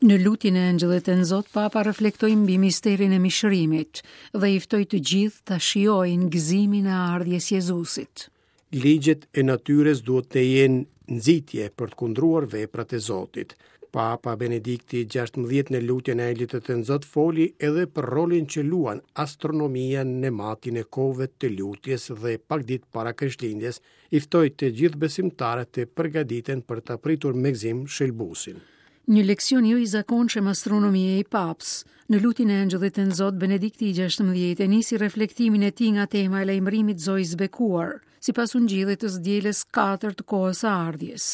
Në lutjen e Engjëllit Tenzot, Papa reflektoi mbi misterin e mishërimit dhe i ftoi të gjithë ta shijojnë gëzimin e ardhjes Jezusit. Ligjet e natyrës duhet të jenë nxitje për të kundruar veprat e Zotit. Papa Benedikti XVI në lutjen e Engjëllit të Tënzot foli edhe për rolin që luan astronomia në matjen e kohëve të lutjes dhe pak ditë para Krishtlindjes i ftoi të gjithë besimtarët të përgatiten për ta pritur me gëzim Shëlbuesin. Një leksion jo i zakonshëm astronomie i Papës. Në lutjen e Engjëllit Tënzot, Benedikti i XVI e nisi reflektimin e tij nga tema e lajmërimit Zojës Bekuar, sipas Ungjillit të së dielës 4 të kohës së ardhjes.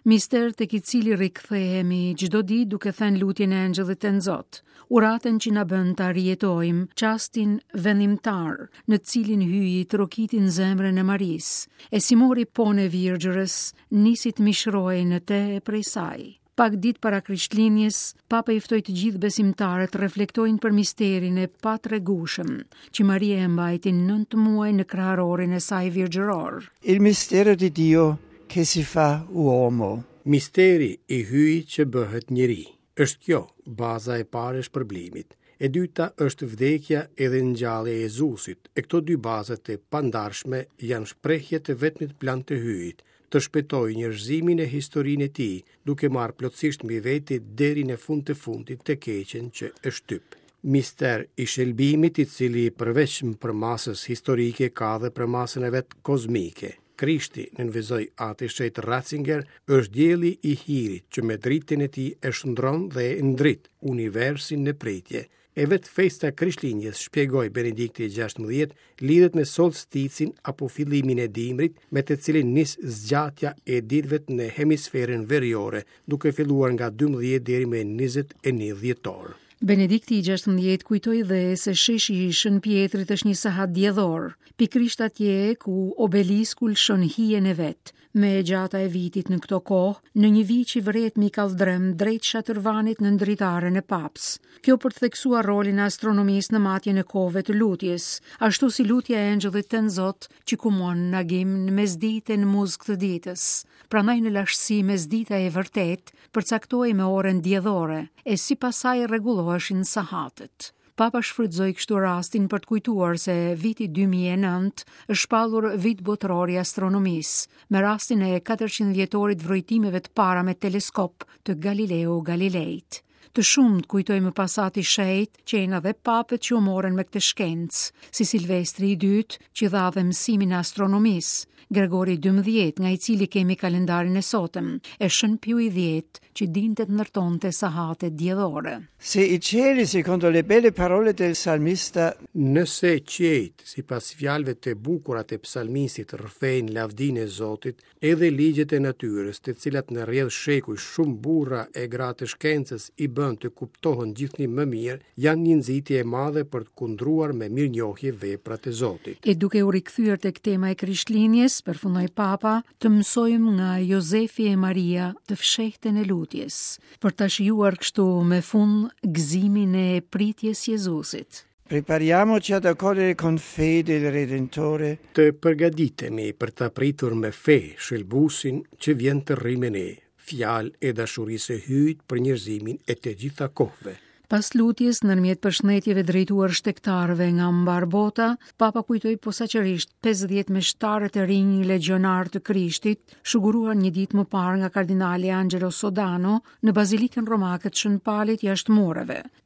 Mister tek i cili rikthehemi çdo ditë duke thënë lutjen e Engjëllit Tënzot, uratën që na bën ta rijetojmë çastin vendimtar në të cilin Hyji trokiti në zemrën e Marisë, e si mori ponë e virgjërës, nisi të mishërohej në të e prej saj. Pak ditë para Krishtlindjes, Papa i ftoi të gjithë besimtarët të reflektojnë për misterin e patregueshëm që Maria e mbajti 9 muaj në kraharorin e saj virgjëror. Il mistero di Dio che si fa uomo. Misteri i Hyjit që bëhet njeri. Është kjo baza e parë e shpërblimit. E dyta është vdekja edhe ngjallja e Jezusit, e këto dy baza të pandarshme janë shprehje të vetmit plan të Hyjit, të shpëtojë njerëzimin e historinë e tij, duke marrë plotësisht mbi vete deri në fund të fundit të keqen që e shtyp. Mister i shëlbimit i cili përveç përmasës historike ka dhe përmasën e vet kozmike. Krishti, nënvizoi Ati i Shenjtë Ratzinger, është dielli i hirit që me dritën e tij e shndron dhe e ndrit universin në pritje. E vetë festa e Krishtlindjes, shpjegoi Benedikti i XVI, lidhet me solsticin apo fillimin e dimrit, me të cilin nis zgjatja e ditëve në hemisferën veriore, duke filluar nga 12 deri më 21 dhjetor. Benedikti i XVI kujtoi dhe se sheshi i Shën Pjetrit është një sahat diellor, pikërisht atje ku obelisku lëshon hijen e vet, më e gjata e vitit në këto kohë, në një vijë që vërehet mbi kalldrëm drejt shatërvanit nën dritaren e Papës. Kjo për të theksuar rolin e astronomisë në matjen e kohëve të lutjes, ashtu si lutja e Engjëllit Tënzot që kumon në agim në mesditë e në muzg të ditës. Prandaj në lashtësi mesdita e vërtetë përcaktohej me orën diellore, e sipas saj rregulloheshin sahatet. Papa shfrytëzoi kështu rastin për të kujtuar se viti 2009 është shpallur vit botëror i astronomisë, me rastin e 400 vjetorit vrojtimeve të para me teleskop të Galileo Galileit. Të shumtë, kujtoi më pas Ati i Shenjtë, qenë edhe papët që u morën me këtë shkencë, si Silvestri i dytë, që dha dhe mësimin e astronomisë, Gregori XII, nga i cili kemi kalendarin e sotëm, e Shën Piu i X, që dinte të ndërtonte sahate diellore. Se i cieli, secondo le belle parole del salmista, Nëse qiejt, sipas fjalëve të bukura të psalmistit, rrëfejnë lavdinë e Zotit, edhe ligjet e natyrës, të cilat në rrjedhë shekujsh shumë burra e gra të shkencës i bënë të kuptohen gjithnjë më mirë, janë një nxitje e madhe për të kundruar me mirënjohje veprat e Zotit. E duke u rikthyer tek tema e Krishtlindjes, përfundoi Papa, të mësojmë nga Jozefi e Maria të fshehtën e lutjes, për ta shijuar kështu me fund gëzimin e pritjes Jezusit. Prepariamoci ad accogliere con fede il Redentore. Të përgatitemi për ta pritur me fe Shëlbuesin që vjen të rrijë me ne, fjalë e dashurisë së Hyjit për njerëzimin e të gjitha kohëve. Pas lutjes, ndërmjet përshëndetjeve drejtuar shtegtarëve nga mbarë bota, Papa kujtoi posaçërisht 50 meshtarët e rinj legjionarë të Krishtit, shuguruar një ditë më parë nga kardinali Angelo Sodano në Bazilikën Romake të Shën Palit jashtë mureve.